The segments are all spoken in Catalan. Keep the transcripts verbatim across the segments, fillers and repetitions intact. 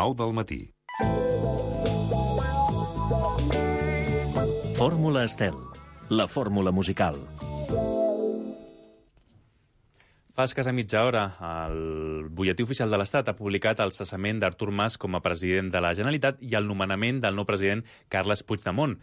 nou del matí. Fórmula Estel, la fórmula musical. Fa escassa mitja hora, el Butlletí Oficial de l'Estat ha publicat el cessament d'Artur Mas com a president de la Generalitat i el nomenament del nou president Carles Puigdemont.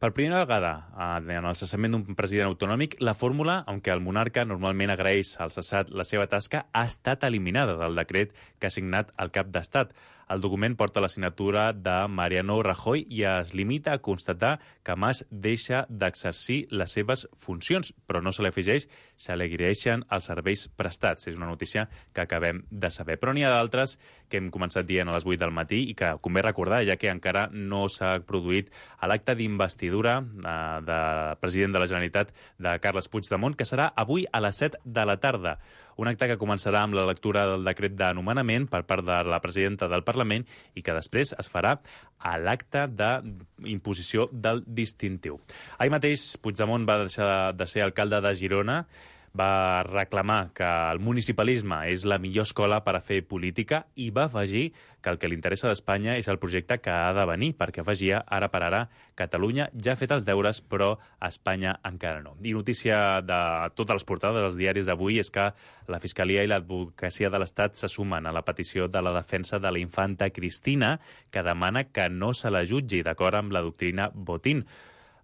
Per primera vegada, en el cessament d'un president autonòmic, la fórmula, en què el monarca normalment agraeix al cessat la seva tasca, ha estat eliminada del decret que ha signat el cap d'Estat. El document porta la signatura de Mariano Rajoy i es limita a constatar que Mas deixa d'exercir les seves funcions, però no se li afegeix, se li agraeixen els serveis prestats. És una notícia que acabem de saber. Però n'hi ha d'altres que hem començat dient a les vuit del matí i que convé recordar, ja que encara no s'ha produït l'acte d'investidura eh, de president de la Generalitat de Carles Puigdemont, que serà avui a les set de la tarda. Un acte que començarà amb la lectura del decret de nomenament per part de la presidenta del Parlament i que després es farà a l'acte d'imposició del distintiu. Ahir mateix Puigdemont va deixar de ser alcalde de Girona, va reclamar que el municipalisme és la millor escola per a fer política i va afegir que el que li interessa d'Espanya és el projecte que ha de venir, perquè afegia, ara per ara, Catalunya ja ha fet els deures, però Espanya encara no. I notícia de totes les portades dels diaris d'avui és que la Fiscalia i l'Advocacia de l'Estat se sumen a la petició de la defensa de la infanta Cristina, que demana que no se la jutgi d'acord amb la doctrina Botín.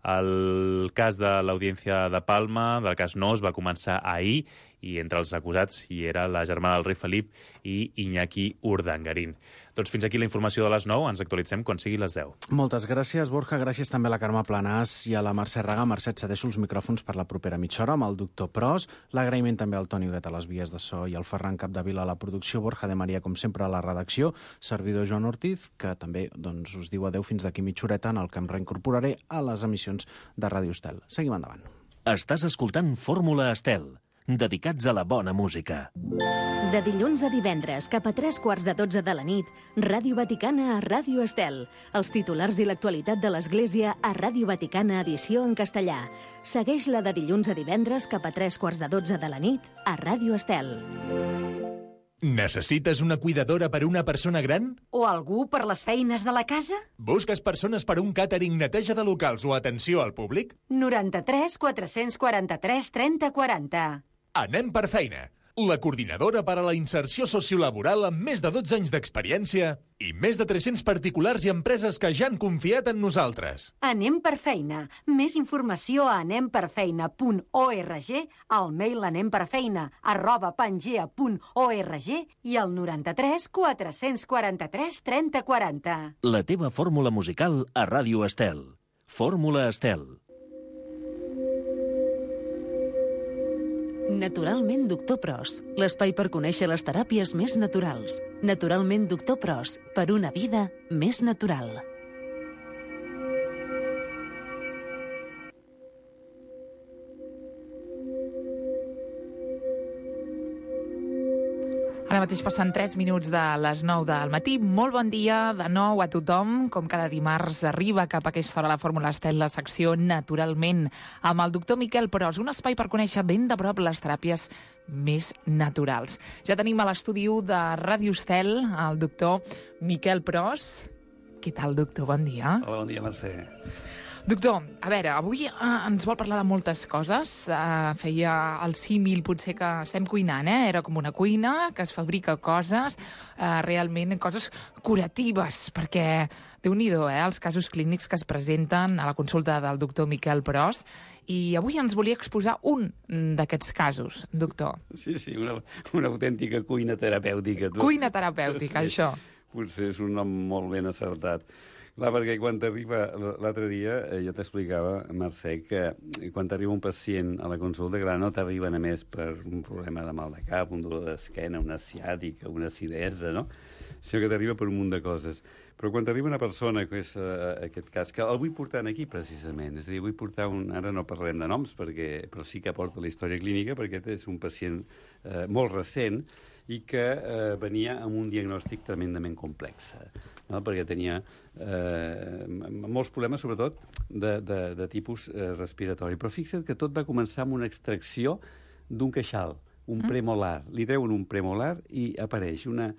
El cas de l'Audiència de Palma, del cas Nos, va començar ahir i entre els acusats hi era la germana del rei Felip i Iñaki Urdangarín. Doncs fins aquí la informació de les nou. Ens actualitzem quan sigui les deu. Moltes gràcies, Borja. Gràcies també a la Carme Planàs i a la Mercè Raga. Mercè, et cedeixo els micròfons per la propera mitja hora amb el doctor Pros. L'agraïment també al Toni Huguet a les vies de so i al Ferran Capdevila a la producció, Borja de Maria, com sempre, a la redacció, servidor Joan Ortiz, que també doncs, us diu adeu fins d'aquí mitja horeta, en el que em reincorporaré a les emissions de Ràdio Estel. Seguim endavant. Estàs escoltant Fórmula Estel, dedicats a la bona música. De dilluns a divendres, cap a tres quarts de dotze de la nit, Ràdio Vaticana a Ràdio Estel. Els titulars i l'actualitat de l'Església a Ràdio Vaticana, edició en castellà. Segueix-la de dilluns a divendres, cap a tres quarts de dotze de la nit, a Ràdio Estel. Necessites una cuidadora per a una persona gran? O algú per les feines de la casa? Busques persones per a un càtering, neteja de locals o atenció al públic? noranta-tres quatre-cents quaranta-tres trenta quaranta. Anem per feina. La coordinadora per a la inserció sociolaboral amb més de dotze anys d'experiència i més de tres-cents particulars i empreses que ja han confiat en nosaltres. Anem per feina. Més informació a anemperfeina punt org, al mail anemperfeina arroba pangea punt org i al noranta-tres quatre-cents quaranta-tres trenta quaranta. La teva fórmula musical a Ràdio Estel. Fórmula Estel. Naturalment Doctor Pros, l'espai per conèixer les teràpies més naturals. Naturalment Doctor Pros, per una vida més natural. Ara mateix passen tres minuts de les nou del matí. Molt bon dia de nou a tothom. Com cada dimarts arriba cap a aquesta hora la Fórmula Estel, la secció Naturalment, amb el doctor Miquel Pros, un espai per conèixer ben de prop les teràpies més naturals. Ja tenim a l'estudi de Ràdio Estel el doctor Miquel Pros. Què tal, doctor? Bon dia. Hola, bon dia, Mercè. Doctor, a veure, avui eh, ens vol parlar de moltes coses. Eh, feia el símil, potser que estem cuinant, eh? Era com una cuina que es fabrica coses, eh, realment coses curatives, perquè déu-n'hi-do, eh, els casos clínics que es presenten a la consulta del doctor Miquel Pros. I avui ens volia exposar un d'aquests casos, doctor. Sí, sí, una, una autèntica cuina terapèutica. Tu. Cuina terapèutica, sí, això. Potser és un nom molt ben acertat. Clar, perquè quan t'arriba, l'altre dia eh, jo t'explicava, Mercè, que quan t'arriba un pacient a la consulta, clar, no t'arriba només per un problema de mal de cap, un dolor d'esquena, una ciàtica, una acidesa, no? Sinó que t'arriba per un munt de coses. Però quan t'arriba una persona, que és uh, aquest cas, que el vull portar aquí precisament, és a dir, vull portar un... Ara no parlem de noms, perquè, però sí que aporta la història clínica, perquè aquest és un pacient uh, molt recent i que eh, venia amb un diagnòstic tremendament complex, no? Perquè tenia eh, molts problemes, sobretot, de, de, de tipus eh, respiratori. Però fixa't que tot va començar amb una extracció d'un queixal, un premolar. Li treuen un premolar i apareix una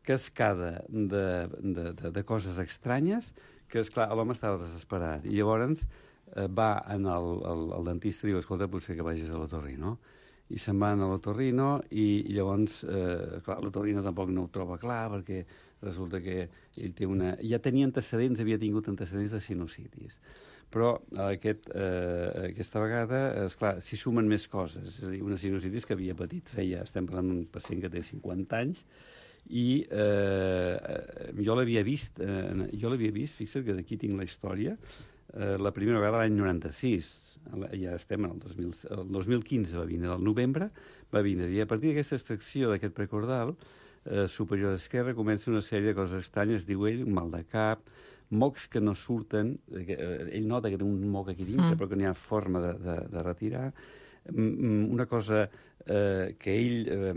cascada de, de, de, de coses estranyes que, esclar, l'home estava desesperat. I llavors eh, va en el, el, el dentista i diu, escolta, potser que vagis a l'otorrino. I se'n van a l'otorrino i, i llavors, eh, clar, l'otorrino tampoc no ho troba clar perquè resulta que ell té una... Ja tenia antecedents, havia tingut antecedents de sinusitis. Però aquest, eh, aquesta vegada, esclar, s'hi sumen més coses. És a dir, una sinusitis que havia patit feia... Estem parlant d'un pacient que té cinquanta anys i eh, jo l'havia vist, eh, jo l'havia vist, fixa't que d'aquí tinc la història, eh, la primera vegada l'any noranta-sis, ja estem en el, dos mil, el dos mil quinze va vindre al novembre, va vindre, i a partir d'aquesta extracció d'aquest precordal eh, superior esquerra comença una sèrie de coses estranyes, diu ell, un mal de cap, mocs que no surten, eh, ell nota que té un moc aquí dintre, mm. però que n'hi ha forma de, de, de retirar, una cosa eh, que ell eh,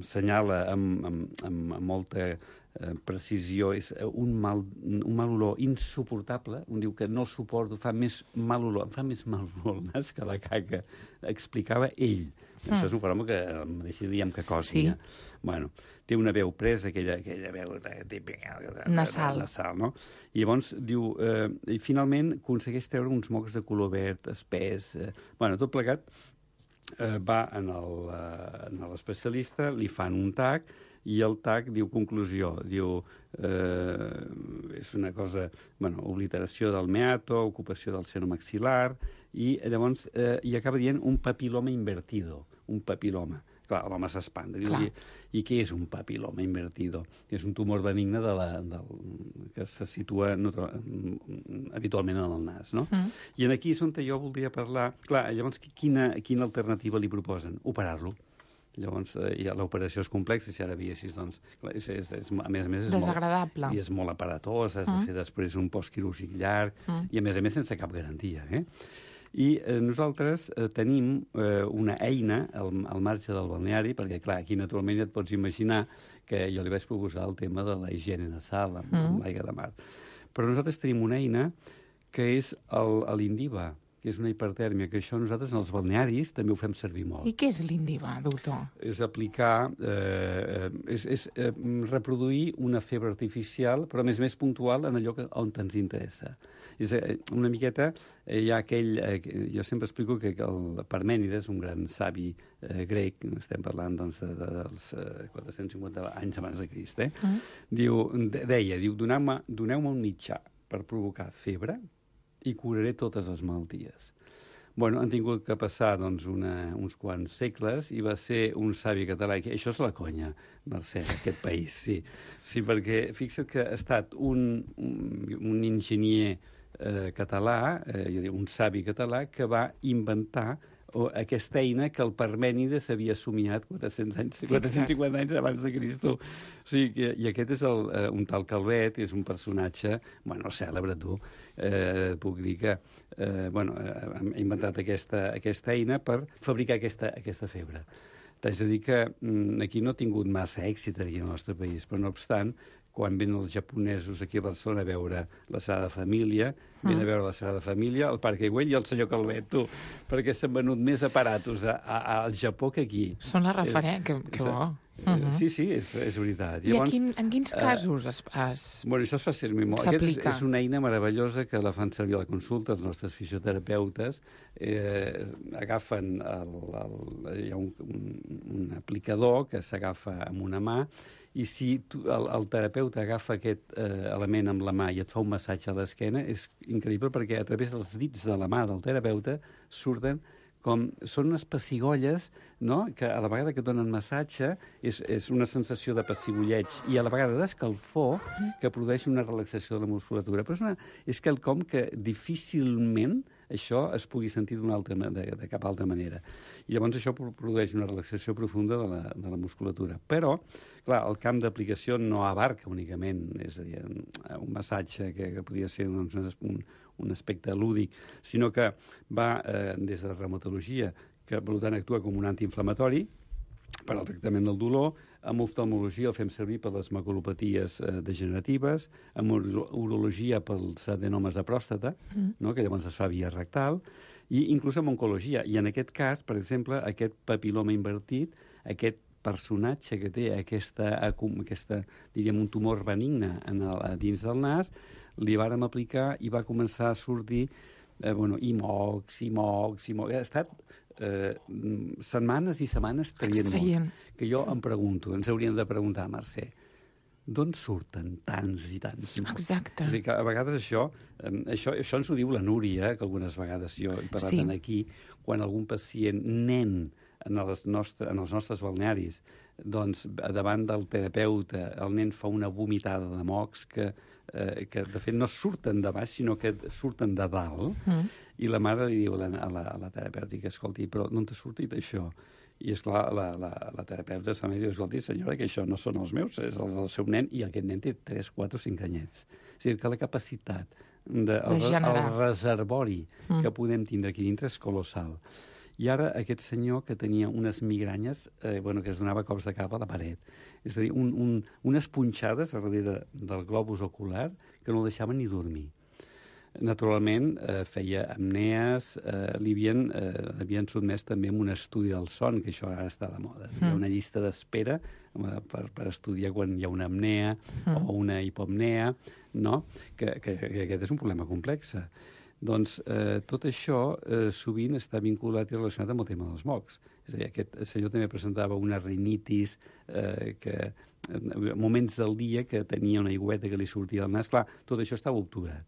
senyala amb, amb, amb, amb molta eh, precisió, és un mal, un mal olor insuportable, un diu que no el suporto, fa més mal olor, em fa més mal olor el nas que la caca, explicava ell. Mm. Això és un fenomen que el mateix diem que cosi. Sí. Bueno, té una veu presa, aquella, aquella veu típica nasal. nasal, no? I llavors diu, eh, i finalment aconsegueix treure uns mocs de color verd, espès, eh, bueno, tot plegat, eh, va en l'especialista, li fan un tac, i el tac diu conclusió, diu, eh, és una cosa, bueno, obliteració del meato, ocupació del seno maxil·lar, i llavors eh, hi acaba dient un papiloma invertido, un papiloma. Clar, l'home s'espanta. I, I què és un papiloma invertido? És un tumor benigne de la, del, que se situa no, habitualment en el nas, no? Mm. I aquí és on jo voldria parlar... Clar, llavors, quina, quina alternativa li proposen? Operar-lo. Llavors, eh, ja l'operació és complexa, si ara veiessis, doncs, clar, és, és, és, a més a més... És desagradable. Molt, I és molt aparatós, has mm. de fer després un postquirúrgic llarg, mm. i a més a més sense cap garantia, eh? I eh, nosaltres eh, tenim eh, una eina al, al marge del balneari, perquè, clar, aquí naturalment ja et pots imaginar que jo li vaig proposar el tema de la higiene nasal amb, mm. amb l'aigua de mar. Però nosaltres tenim una eina que és l'Indiva, que és una hipertèrmia, que això nosaltres en els balnearis també ho fem servir molt. I què és l'Indiva, doctor? És aplicar, eh, és, és eh, reproduir una febre artificial, però a més a més puntual en allò que, on ens interessa. És una miqueta, eh, hi ha aquell... Eh, jo sempre explico que el Parmènides, un gran savi eh, grec, estem parlant doncs, de, de, dels eh, quatre-cents cinquanta anys abans de Crist, eh? Mm. Diu, de, deia, diu, doneu-me doneu un mitjà per provocar febre i curaré totes les malalties. Bueno, han tingut que passar doncs, una, uns quants segles i va ser un savi català. Això és la conya, Mercè, aquest país, sí. Sí, perquè fixa't que ha estat un, un, un enginyer eh, català, eh, jo dic, un savi català, que va inventar o aquesta eina que el Parmènides havia somiat quatre-cents anys, quatre-cents cinquanta anys abans de Cristo. O sigui, que, i aquest és el, uh, un tal Calvet, és un personatge, bueno, cèlebre, tu, eh, puc dir que eh, bueno, eh, ha inventat aquesta, aquesta eina per fabricar aquesta, aquesta febre. T'haig de dir que mm, aquí no ha tingut massa èxit aquí al nostre país, però no obstant, quan venen els japonesos aquí a Barcelona a veure la Sagrada Família, mm. venen a veure la Sagrada Família, el Parc Güell i el senyor Calvet, tu, perquè s'han venut més aparatos a, a, al Japó que aquí. Són la referència, eh, que, que bo. Uh -huh. Sí, sí, és, és veritat. I Llavors, quin, en quins casos uh, es, es bueno, això es fa servir molt. Aquest és, és una eina meravellosa que la fan servir a la consulta els nostres fisioterapeutes. Eh, agafen el, el, hi ha un, un, un aplicador que s'agafa amb una mà i si tu, el, el terapeuta agafa aquest eh, element amb la mà i et fa un massatge a l'esquena, és increïble perquè a través dels dits de la mà del terapeuta surten com són unes pessigolles, no?, que a la vegada que donen massatge és, és una sensació de pessigolleig i a la vegada d'escalfor que produeix una relaxació de la musculatura. Però és, una, és quelcom que difícilment això es pugui sentir d'una altra, de, de cap altra manera. I llavors això produeix una relaxació profunda de la, de la musculatura. Però, clar, el camp d'aplicació no abarca únicament, és a dir, un massatge que, que podria ser doncs, un, un aspecte lúdic, sinó que va eh, des de la reumatologia, que per tant actua com un antiinflamatori per al tractament del dolor, amb oftalmologia el fem servir per les maculopaties eh, degeneratives, amb urologia pels adenomes de pròstata, mm. no?, que llavors es fa via rectal, i inclús amb oncologia. I en aquest cas, per exemple, aquest papiloma invertit, aquest personatge que té aquesta, aquesta diríem, un tumor benigne en el, dins del nas, li vàrem aplicar i va començar a sortir eh, bueno, i mocs, i mocs, i mocs. Ha estat eh, setmanes i setmanes traient mocs. Que jo em pregunto, ens hauríem de preguntar, Mercè, d'on surten tants i tants mocs? Exacte. És a dir, que a vegades això, eh, això, això ens ho diu la Núria, que algunes vegades jo he parlat sí. aquí, quan algun pacient, nen, en els, nostre, en els nostres balnearis, doncs, davant del terapeuta, el nen fa una vomitada de mocs que, eh, que de fet, no surten de baix, sinó que surten de dalt, mm. i la mare li diu a la, a la, a la terapèutica, escolti, però no t'ha sortit això? I, esclar, la, la, la terapeuta se m'ha dit, escolti, senyora, que això no són els meus, és el del seu nen, i aquest nen té tres, quatre o cinc anyets. És a dir, que la capacitat, de, de el, el reservori mm. que podem tindre aquí dintre és colossal. I ara aquest senyor que tenia unes migranyes, eh, bueno, que es donava cops de cap a la paret. És a dir, un, un, unes punxades a darrere del globus ocular que no el deixaven ni dormir. Naturalment, eh, feia apnees, eh, li havien, eh, havien sotmès també amb un estudi del son, que això ara està de moda. Mm. Hi ha una llista d'espera eh, per, per estudiar quan hi ha una apnea mm. o una hipopnea, no? que, que, que aquest és un problema complex. Doncs eh, tot això eh, sovint està vinculat i relacionat amb el tema dels mocs. És a dir, aquest senyor també presentava una rinitis, eh, que, en moments del dia que tenia una aigüeta que li sortia del nas. Clar, tot això estava obturat.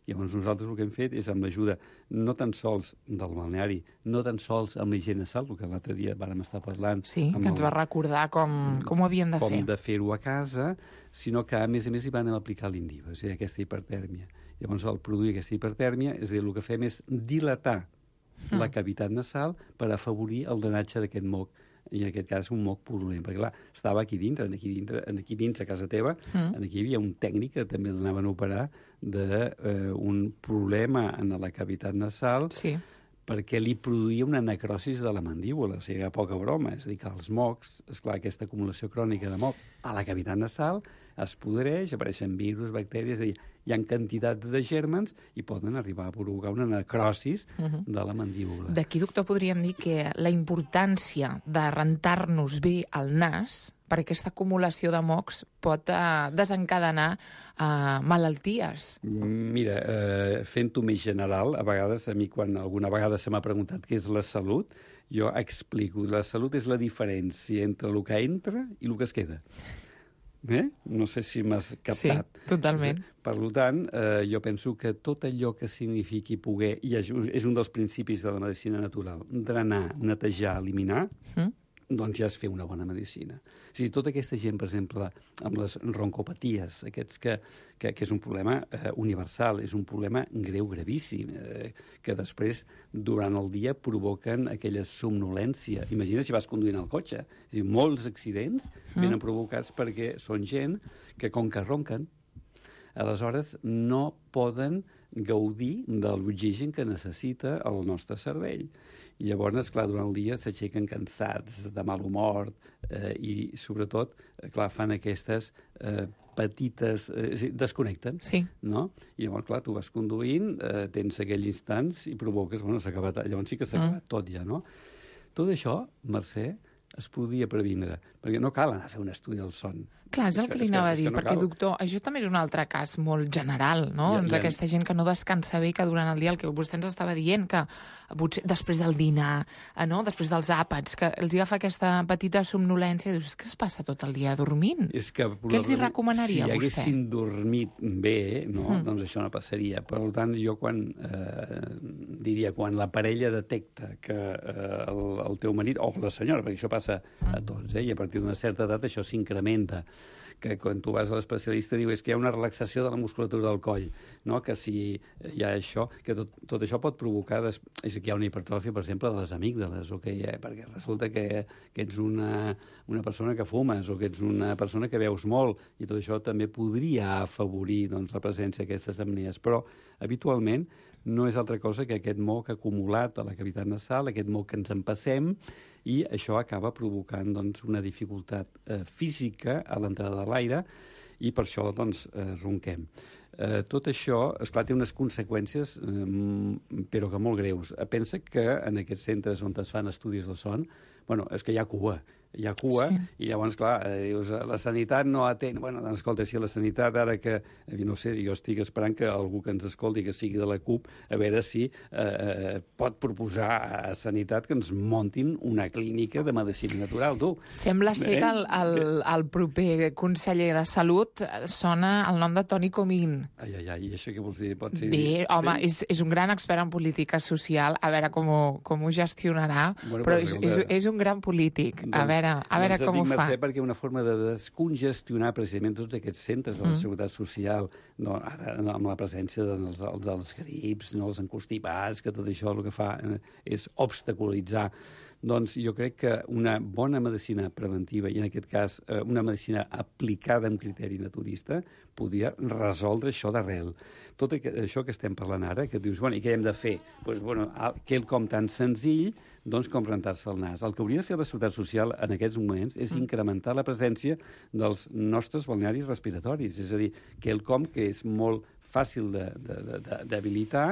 Llavors nosaltres el que hem fet és amb l'ajuda no tan sols del balneari, no tan sols amb l'higiene sal, el que l'altre dia vàrem estar parlant. Sí, que ens el, va recordar com, com ho havíem de com fer. Com de fer-ho a casa, sinó que a més a més hi van aplicar l'Indiva, és a dir, aquesta hipertèrmia. Llavors, al produir aquesta hipertèrmia, és a dir, el que fem és dilatar mm. la cavitat nasal per afavorir el drenatge d'aquest moc, i en aquest cas un moc purulent, perquè clar, estava aquí dintre, aquí dintre, aquí dins a casa teva, mm. aquí hi havia un tècnic que també l'anaven a operar d'un eh, problema en la cavitat nasal, sí. perquè li produïa una necrosis de la mandíbula, o sigui, a poca broma, és a dir, que els mocs, esclar, aquesta acumulació crònica de moc a la cavitat nasal es podreix, apareixen virus, bactèries, és a dir, hi ha quantitat de gèrmens i poden arribar a provocar una necrosis uh-huh. de la mandíbula. D'aquí, doctor, podríem dir que la importància de rentar-nos bé el nas per aquesta acumulació de mocs pot uh, desencadenar uh, malalties. Mira, eh, fent-ho més general, a vegades, a mi quan alguna vegada se m'ha preguntat què és la salut, jo explico, la salut és la diferència entre el que entra i el que es queda. Eh? No sé si m'has captat. Sí, totalment. Per tant, eh, jo penso que tot allò que signifiqui poder, i és un dels principis de la medicina natural, drenar, netejar, eliminar, mm. doncs ja es fer una bona medicina. O sigui, tota aquesta gent, per exemple, amb les roncopaties, aquests que, que, que és un problema eh, universal, és un problema greu, gravíssim, eh, que després, durant el dia, provoquen aquella somnolència. Imagina si vas conduint el cotxe. És a dir, molts accidents mm. venen provocats perquè són gent que, com que ronquen, aleshores no poden gaudir de l'oxigen que necessita el nostre cervell. I llavors, clar, durant el dia s'aixequen cansats, de mal humor, eh, i sobretot, clar, fan aquestes eh, petites... Eh, és a dir, desconnecten, sí. no? I llavors, clar, tu vas conduint, eh, tens aquells instants i provoques... Bueno, s'ha acabat... Llavors sí que s'ha acabat mm. tot ja, no? Tot això, Mercè, es podia previndre, perquè no cal anar a fer un estudi del son. Clar, és el que li anava a dir, no perquè, cal. Doctor, això també és un altre cas molt general, no? Ja, doncs ja... aquesta gent que no descansa bé, que durant el dia, el que vostè ens estava dient, que potser després del dinar, no? Després dels àpats, que els agafa aquesta petita somnolència, i dius, és que es passa tot el dia dormint. És que, què els hi recomanaria si vostè? Si haguessin dormit bé, no? Mm. doncs això no passaria. Per tant, jo quan, eh, diria, quan la parella detecta que eh, el, el teu marit, o la senyora, perquè això passa a tots, eh? I a partir d'una certa edat això s'incrementa, que quan tu vas a l'especialista diu és que hi ha una relaxació de la musculatura del coll, no? Que si hi ha això, que tot, tot això pot provocar, des... és que hi ha una hipertròfia, per exemple, de les amígdales, o que hi ha, perquè resulta que, que ets una, una persona que fumes, o que ets una persona que beus molt, i tot això també podria afavorir doncs, la presència d'aquestes apnees, però habitualment no és altra cosa que aquest moc acumulat a la cavitat nasal, aquest moc que ens empassem, i això acaba provocant doncs, una dificultat eh, física a l'entrada de l'aire i per això doncs, eh, ronquem. Eh, tot això, esclar, té unes conseqüències, eh, però que molt greus. Pensa que en aquests centres on es fan estudis del son, bueno, és que hi ha cua. hi ha cua, sí. I llavors, clar, eh, dius, la sanitat no atén... Bueno, doncs, escolta, si la sanitat ara que... Eh, no sé, jo estic esperant que algú que ens escolti, que sigui de la CUP, a veure si eh, pot proposar a Sanitat que ens montin una clínica de medicina natural, tu. Sembla ser eh? que el, el, el proper conseller de Salut sona el nom de Toni Comín. Ai, ai, ai, i això què vols dir? Pot ser... Bé, home, sí? és, és un gran expert en política social, a veure com ho, com ho gestionarà, bueno, però és, és, és un gran polític, doncs, a veure, a veure com ho fa. Mercè, perquè una forma de descongestionar precisament tots aquests centres de la mm. Seguretat Social, no, ara no, amb la presència dels, dels grips, no, els encostipats, que tot això el que fa eh, és obstaculitzar. Doncs jo crec que una bona medicina preventiva, i en aquest cas eh, una medicina aplicada amb criteri naturista, podia resoldre això d'arrel. Tot això que estem parlant ara, que dius, bueno, i què hem de fer? Pues, bueno, quelcom tan senzill doncs, com rentar-se el nas. El que hauria de fer la Seguretat Social en aquests moments és incrementar la presència dels nostres balnearis respiratoris, és a dir, quelcom que és molt fàcil d'habilitar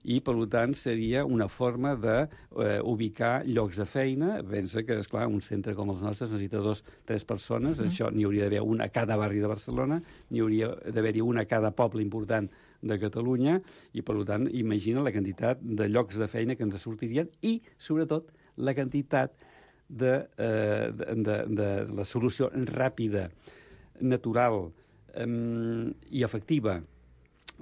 i, per tant, seria una forma d'ubicar eh, llocs de feina. Pensa que, esclar, un centre com els nostres necessita dos, tres persones, mm. això n'hi hauria d'haver una a cada barri de Barcelona, n'hi hauria d'haver-hi una a cada poble important de Catalunya, i, per tant, imagina la quantitat de llocs de feina que ens sortirien i, sobretot, la quantitat de, eh, de, de, de la solució ràpida, natural eh, i efectiva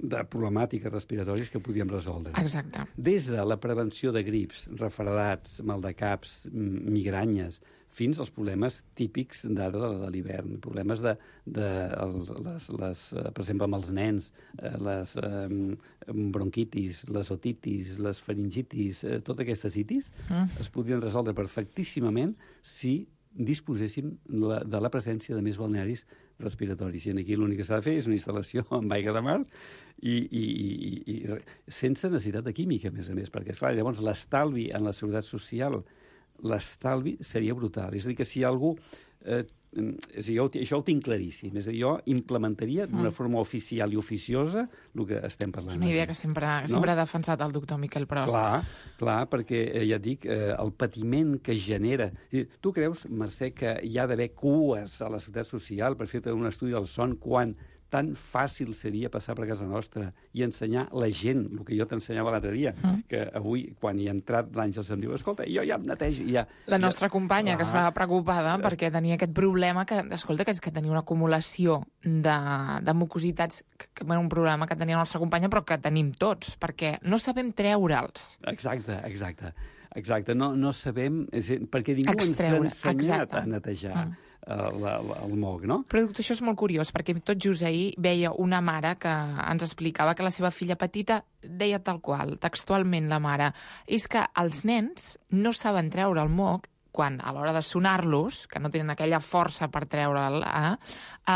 de problemàtiques respiratòries que podíem resoldre. Exacte. Des de la prevenció de grips, refredats, maldecaps, migranyes, fins als problemes típics d'ara de l'hivern, problemes de, de les, les, per exemple, amb els nens, les eh, bronquitis, les otitis, les faringitis, eh, totes aquestes itis mm. es podien resoldre perfectíssimament si disposéssim la, de la presència de més balnearis respiratoris. I aquí l'únic que s'ha de fer és una instal·lació amb aigua de mar i, i, i, i sense necessitat de química, a més a més, perquè, esclar, llavors l'estalvi en la seguretat social, l'estalvi seria brutal. És a dir, que si algú... Eh, és a dir, jo, això ho tinc claríssim. És a dir, jo implementaria d'una mm. forma oficial i oficiosa el que estem parlant. És una idea que sempre, no? sempre ha defensat el doctor Miquel Pros. Clar, clar, perquè eh, ja et dic, eh, el patiment que genera... Tu creus, Mercè, que hi ha d'haver cues a la seguretat social per fer un estudi del son quan tan fàcil seria passar per casa nostra i ensenyar la gent, el que jo t'ensenyava l'altre dia, mm. que avui, quan hi ha entrat l'Àngels, em diu, escolta, jo ja em netejo. Ja, la nostra ja... companya, ah, que estava preocupada es... perquè tenia aquest problema, que, escolta, que és que tenia una acumulació de, de mucositats, que, que era un problema que tenia la nostra companya, però que tenim tots, perquè no sabem treure'ls. Exacte, exacte. Exacte, no, no sabem... És, perquè ningú Extreure, ens ha ensenyat exacte. a netejar. Mm. La, la, el moc, no? Però, doctor, això és molt curiós, perquè tot just ahir veia una mare que ens explicava que la seva filla petita deia tal qual, textualment la mare, és que els nens no saben treure el moc quan, a l'hora de sonar-los, que no tenen aquella força per treure'l, eh,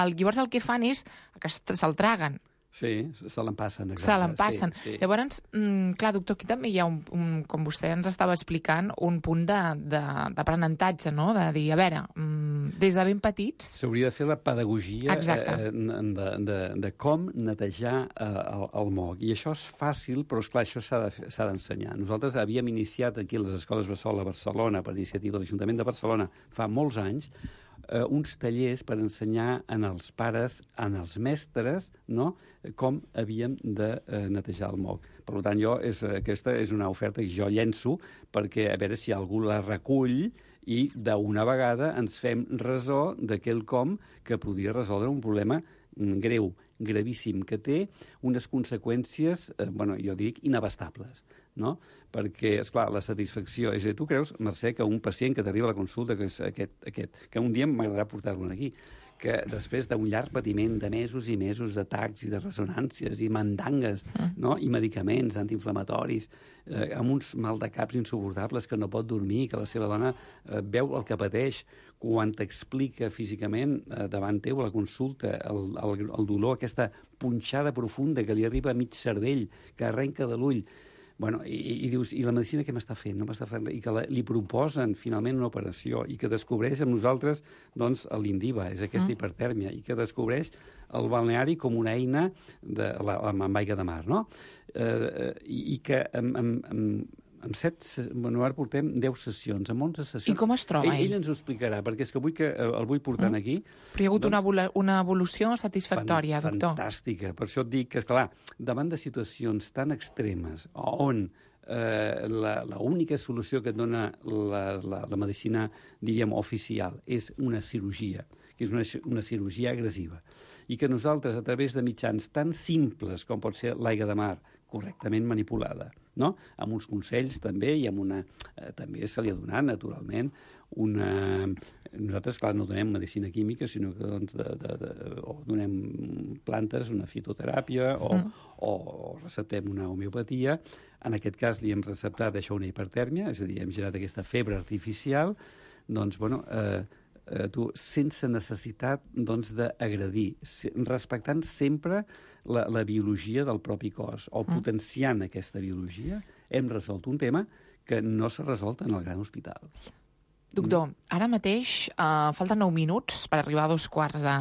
el, llavors el que fan és que se'l traguen. Sí, se l'empassen. Se l'empassen. Sí, sí. Llavors, mm, clar, doctor, aquí també hi ha, un, un, com vostè ens estava explicant, un punt d'aprenentatge, no? De dir, a veure, mm, des de ben petits... S'hauria de fer la pedagogia eh, de, de, de com netejar eh, el, el moc. I això és fàcil, però, esclar, això s'ha de, s'ha d'ensenyar. Nosaltres havíem iniciat aquí a les escoles Bressol a Barcelona, per iniciativa de l'Ajuntament de Barcelona, fa molts anys, Uh, uns tallers per ensenyar en els pares, en els mestres, no?, com havíem de uh, netejar el moc. Per tant, jo és, aquesta és una oferta que jo llenço perquè a veure si algú la recull i d'una vegada ens fem ressò de quelcom que podria resoldre un problema greu, gravíssim, que té unes conseqüències, eh, bueno, jo dic, inabastables, no? Perquè, esclar, la satisfacció... És a dir, tu creus, Mercè, que un pacient que t'arriba a la consulta, que és aquest, aquest, que un dia m'agradarà portar-lo aquí, que després d'un llarg patiment de mesos i mesos d'atacs i de ressonàncies i mandangues, no?, i medicaments antiinflamatoris, eh, amb uns maldecaps insuportables, que no pot dormir, que la seva dona eh, veu el que pateix, quan t'explica físicament eh, davant teu a la consulta el, el, el dolor, aquesta punxada profunda que li arriba a mig cervell, que arrenca de l'ull. Bueno, i, i dius, i la medicina què m'està fent? No m'està fent res. I que la, li proposen finalment una operació i que descobreix amb nosaltres doncs, l'Indiva, és aquesta mm. hipertèrmia, i que descobreix el balneari com una eina de, la, amb aigua de mar, no? Eh, i, I que amb, amb, amb, amb set... Bueno, ara portem deu sessions, amb onze sessions. I com es troba ell? ell? Ell ens ho explicarà, perquè és que vull que el vull portant mm. aquí. Però hi ha hagut doncs, una, una evolució satisfactòria, fan, doctor. Fantàstica. Per això et dic que, esclar, davant de situacions tan extremes on eh, la, la única solució que et dona la, la, la medicina, diríem, oficial, és una cirurgia, que és una, una cirurgia agressiva, i que nosaltres, a través de mitjans tan simples com pot ser l'aigua de mar, correctament manipulada, no? Amb uns consells també, i amb una... Eh, també se li ha donat, naturalment, una... Nosaltres, clar, no donem medicina química, sinó que doncs, de, de, de, o donem plantes, una fitoteràpia, o, mm. o, o receptem una homeopatia. En aquest cas li hem receptat això, una hipertèrmia, és a dir, hem generat aquesta febre artificial, doncs, bueno... Eh, Eh, tu, sense necessitat doncs, d'agredir, respectant sempre la, la biologia del propi cos, o potenciant aquesta biologia, hem resolt un tema que no s'ha resolt en el gran hospital. Doctor, ara mateix uh, falten nou minuts per arribar a dos quarts de,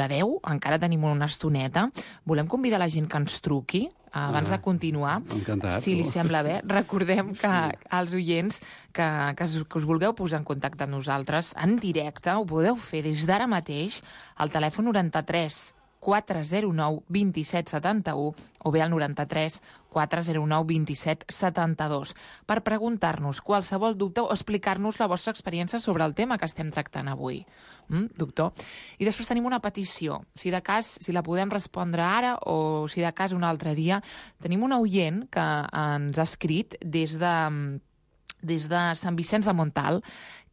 de deu. Encara tenim una estoneta. Volem convidar la gent que ens truqui uh, abans ah, de continuar. Encantat. Si li sembla bé. Recordem que als oients que, que, us, que us vulgueu posar en contacte amb nosaltres en directe, ho podeu fer des d'ara mateix al telèfon noranta-tres quatre zero nou dos set set u o bé al noranta-tres quatre zero nou dos set set dos per preguntar-nos qualsevol dubte o explicar-nos la vostra experiència sobre el tema que estem tractant avui. Mm, doctor? I després tenim una petició. Si de cas, si la podem respondre ara o si de cas un altre dia, tenim un oient que ens ha escrit des de... des de Sant Vicenç de Montalt,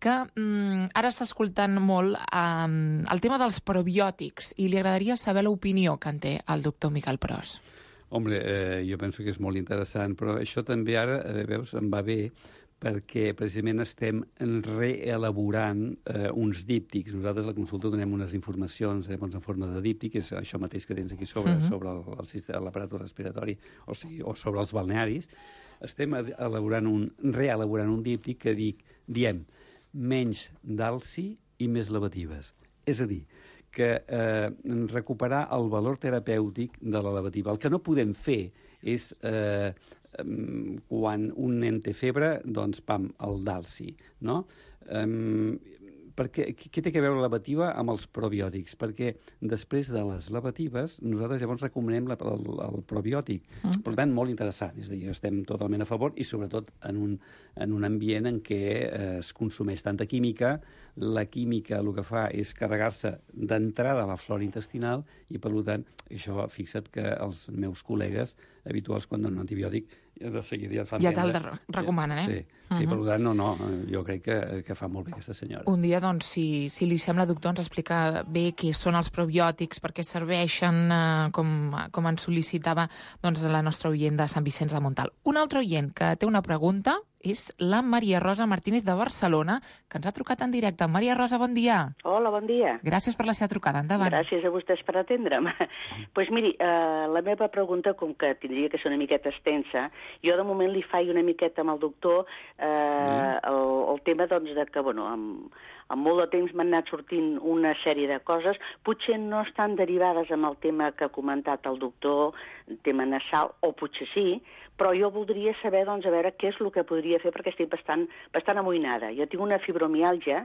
que mm, ara està escoltant molt um, el tema dels probiòtics i li agradaria saber l'opinió que en té el doctor Miquel Pros. Hombre, eh, jo penso que és molt interessant, però això també ara, eh, veus, em va bé, perquè precisament estem reelaborant eh, uns díptics. Nosaltres a la consulta donem unes informacions eh, en forma de díptic, és això mateix que tens aquí sobre, uh-huh. sobre l'aparato respiratori, o sigui, o sobre els balnearis. Estem elaborant un, reelaborant un díptic que dic, diem menys d'alci i més lavatives. És a dir, que eh, recuperar el valor terapèutic de la lavativa. El que no podem fer és, eh, quan un nen té febre, doncs, pam, el d'alci, no? Um, perquè, què té a veure la lavativa amb els probiòtics? Perquè després de les lavatives, nosaltres llavors recomanem la, el, el probiòtic. Mm. Per tant, molt interessant. És a dir, estem totalment a favor i sobretot en un, en un ambient en què eh, es consumeix tanta química. La química el que fa és carregar-se d'entrada a la flora intestinal i, per tant, això, fixa't que els meus col·legues habituals quan donen un antibiòtic de seguida ja et fan ja te'l recomanen, eh? Sí, sí, uh-huh. Per tant, no, no, jo crec que, que fa molt bé aquesta senyora. Un dia, doncs, si, si li sembla, doctor, ens explica bé què són els probiòtics, per què serveixen, eh, com, com ens sol·licitava doncs, la nostra oient de Sant Vicenç de Montalt. Un altre oient que té una pregunta és la Maria Rosa Martínez de Barcelona, que ens ha trucat en directe. Maria Rosa, bon dia. Hola, bon dia. Gràcies per la seva trucada. Endavant. Gràcies a vostès per atendre'm. Doncs pues miri, eh, la meva pregunta, com que tindria que ser una miqueta extensa, jo de moment li faig una miqueta amb el doctor eh, sí. el, el tema doncs, de que, bueno, amb, amb molt de temps m'han anat sortint una sèrie de coses, potser no estan derivades amb el tema que ha comentat el doctor, tema nasal, o potser sí, però jo voldria saber, doncs, a veure què és el que podria fer, perquè estic bastant, bastant amoïnada. Jo tinc una fibromiàlgia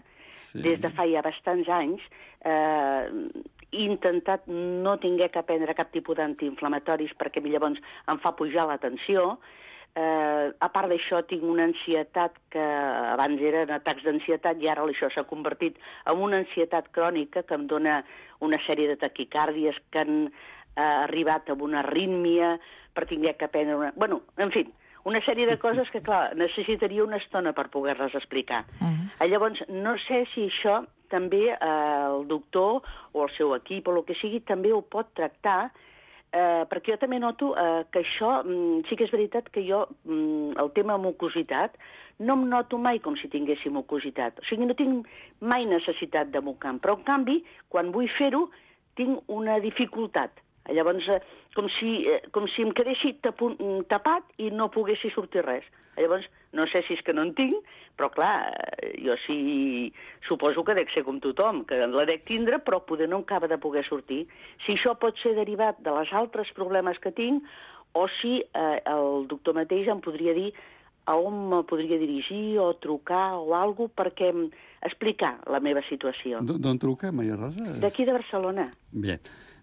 sí. des de fa ja bastants anys, eh, he intentat no tinguer que prendre cap tipus d'antiinflamatoris perquè llavors em fa pujar la tensió. Eh, a part d'això, tinc una ansietat que abans eren atacs d'ansietat i ara això s'ha convertit en una ansietat crònica que em dona una sèrie de taquicàrdies que han eh, arribat a una arrítmia per tinguer que prendre una... Bueno, en fi, una sèrie de coses que, clar, necessitaria una estona per poder-les explicar. Uh-huh. Llavors, no sé si això també eh, el doctor o el seu equip o el que sigui també ho pot tractar, eh, perquè jo també noto eh, que això, mm, sí que és veritat que jo, mm, el tema mucositat, no em noto mai com si tinguéssim mucositat. O sigui, no tinc mai necessitat de mocar, però en canvi, quan vull fer-ho, tinc una dificultat. Llavors, eh, com, si, eh, com si em quedessi tapu- tapat i no poguessi sortir res. Llavors, no sé si és que no en tinc, però clar, jo sí suposo que dec ser com tothom, que la dec tindre, però poder no acaba de poder sortir. Si això pot ser derivat de les altres problemes que tinc, o si eh, el doctor mateix em podria dir a on me podria dirigir o trucar o alguna cosa perquè explicar la meva situació. D'on truca, Maria Rosa? D'aquí de Barcelona. Bé.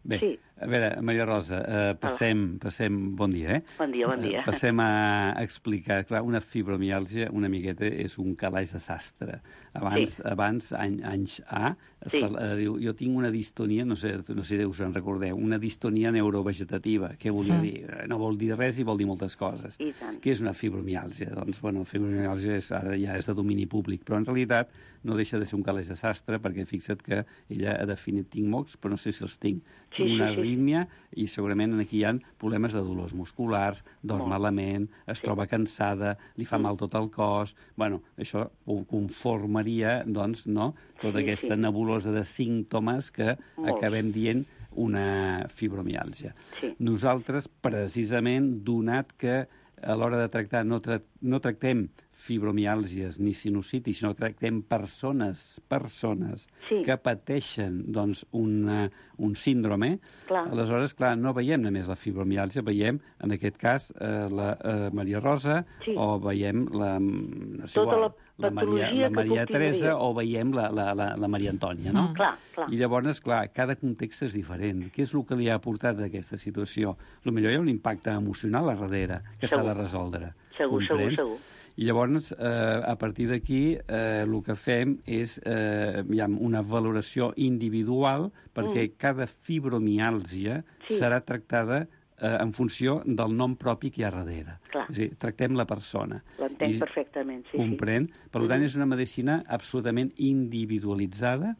Bé, sí. A veure, Maria Rosa, eh, passem, passem... Bon dia, eh? Bon dia, bon dia. Eh, passem a explicar. Clar, una fibromiàlgia una miqueta és un calaix de sastre. Abans, sí. abans any, anys A, es sí. parla, eh, diu, jo tinc una distonia, no sé, no sé si us en recordeu, una distonia neurovegetativa. Què volia mm. dir? No vol dir res i vol dir moltes coses. I tant. Què és una fibromiàlgia? Doncs, bueno, fibromiàlgia és, ara ja és de domini públic, però en realitat no deixa de ser un calaix de sastre, perquè fixa't que ella ha definit tinc mocs, però no sé si els tinc. Sí, tinc una sí, sí. arrítmia i segurament aquí hi ha problemes de dolors musculars, dorm Molt. malament, es sí. troba cansada, li fa mm. mal tot el cos... Bueno, això ho conformaria, doncs, no?, tota sí, aquesta sí. nebulosa de símptomes que Molts. acabem dient una fibromiàlgia. Sí. Nosaltres, precisament, donat que a l'hora de tractar no, tra no tractem fibromiàlgies ni sinusitis, sinó tractem persones, persones sí. que pateixen doncs, una, un síndrome, clar. Aleshores, clar, no veiem només la fibromiàlgia, veiem, en aquest cas, eh, la eh, Maria Rosa, sí. o veiem la, no sé, tota igual, la, la Maria, la Maria Teresa, o veiem la, la, la, la Maria Antònia, no? Mm. Clar, clar. I llavors, clar, cada context és diferent. Què és el que li ha aportat a aquesta situació? Potser hi ha un impacte emocional a darrere que s'ha de resoldre. Segur, segur, segur. I llavors, eh, a partir d'aquí, eh, el que fem és eh, hi ha una valoració individual perquè mm. cada fibromiàlgia sí. serà tractada eh, en funció del nom propi que hi ha darrere. Clar. És a dir, tractem la persona. L'entenc perfectament, sí. Comprèn? Sí. Per tant, és una medicina absolutament individualitzada,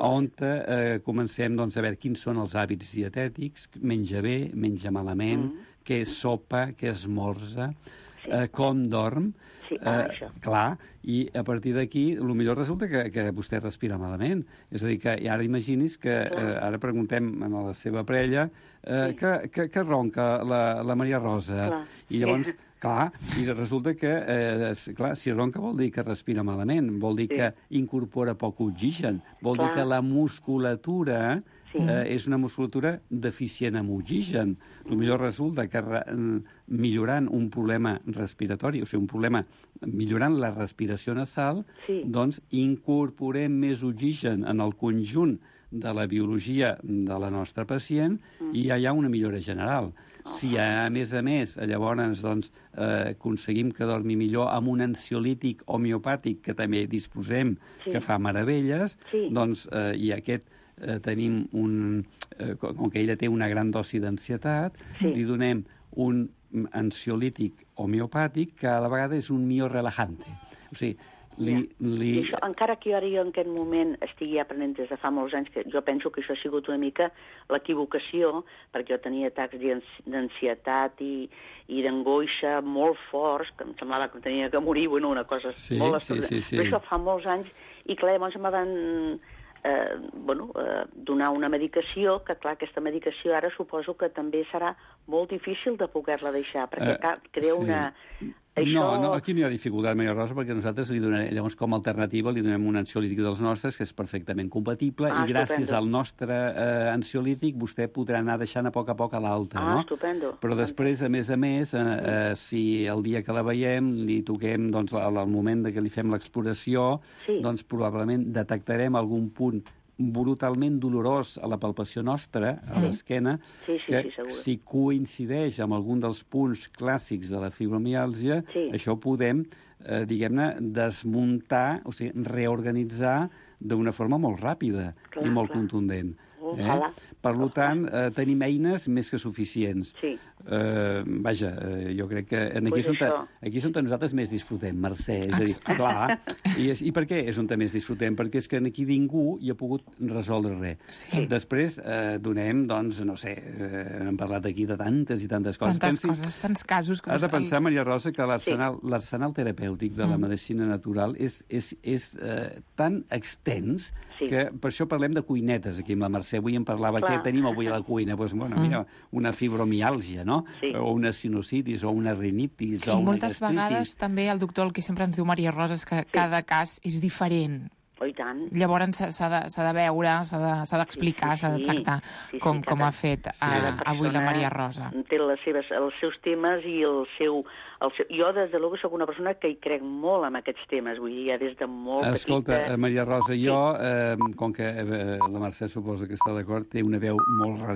on eh, comencem doncs, a veure quins són els hàbits dietètics, menja bé, menja malament, mm. què sopa, què esmorza, sí. eh, com dorm. Sí, ah, eh, clar, i a partir d'aquí, el millor resulta que, que vostè respira malament. És a dir, que ara imagini's que eh, ara preguntem a la seva parella eh, sí. que, que, que ronca la, la Maria Rosa. Clar. I llavors, sí. clar, i resulta que, eh, clar, si ronca vol dir que respira malament, vol dir sí. que incorpora poc oxigen, vol clar. dir que la musculatura... Sí. Eh, és una musculatura deficient amb oxigen. El millor resulta que re, millorant un problema respiratori, o sigui, un problema millorant la respiració nasal, sí. doncs incorporem més oxigen en el conjunt de la biologia de la nostra pacient mm. i ja hi ha una millora general. Oh. Si, a més a més, llavors doncs, eh, aconseguim que dormi millor amb un ansiolític homeopàtic, que també disposem, sí. que fa meravelles, sí. doncs, eh, i aquest Eh, tenim un... Eh, com que ella té una gran dosi d'ansietat, sí. li donem un ansiolític homeopàtic que a la vegada és un miorelajante. O sigui, li... Ja. li... Això, encara que jo ara jo en aquest moment estigui aprenent des de fa molts anys, que jo penso que això ha sigut una mica l'equivocació, perquè jo tenia atacs d'ansietat i, i d'angoixa molt forts, que em semblava que tenia que morir, bueno, una cosa sí, molt sí, sí, sí. Però això fa molts anys, i clar, llavors em van... Eh, bueno, eh, donar una medicació, que clar, aquesta medicació ara suposo que també serà molt difícil de poder-la deixar, perquè eh, crea sí. una... Això... No, no, aquí no hi ha dificultat, Maria Rosa, perquè nosaltres li donem, llavors com a alternativa li donem un ansiolític dels nostres que és perfectament compatible ah, i gràcies estupendo. al nostre eh, ansiolític vostè podrà anar deixant a poc a poc a l'altre, ah, no? Estupendo. Però després, a més a més, eh, eh, si el dia que la veiem li toquem, doncs, al moment de que li fem l'exploració, sí. doncs probablement detectarem algun punt brutalment dolorós a la palpació nostra, a sí. l'esquena, sí, sí, que sí, si coincideix amb algun dels punts clàssics de la fibromiàlgia, sí. això podem, eh, diguem-ne, desmuntar, o sigui, reorganitzar d'una forma molt ràpida clar, i molt clar. contundent. Eh? Per tant, eh, tenim eines més que suficients. Sí. Eh, vaja, eh, jo crec que aquí, pues és on, aquí és on nosaltres més disfrutem, Mercè. És a dir, clar, i, és, i per què és on més disfrutem? Perquè és que aquí ningú hi ha pogut resoldre res. Sí. Després eh, donem, doncs, no sé, eh, hem parlat aquí de tantes i tantes coses. Tantes Pensi, coses, tants casos... Que has de pensar, Maria Rosa, que l'arsenal sí. terapèutic de la mm. medicina natural és, és, és eh, tan extens sí. que per això parlem de cuinetes aquí amb la Mercè. Avui em parlava Clar. què tenim avui a la cuina. Doncs, bueno, mm. mira, una fibromiàlgia, no? Sí. O una sinusitis, o una rinitis, sí, o una moltes gastritis. vegades també el doctor el que sempre ens diu Maria Rosa és que sí. cada cas és diferent. Oh, i tant. Llavors s'ha de, s'ha de veure, s'ha d'explicar, s'ha de tractar sí, sí, com, sí, com cada- ha fet sí, eh, cada avui la persona Maria Rosa. Té les seves, els seus temes i el seu, el seu... Jo, des de luego, sóc una persona que hi crec molt en aquests temes, vull dir, ja des de molt Escolta, petita... Maria Rosa, jo, eh, com que eh, la Mercè suposa que està d'acord, té una veu molt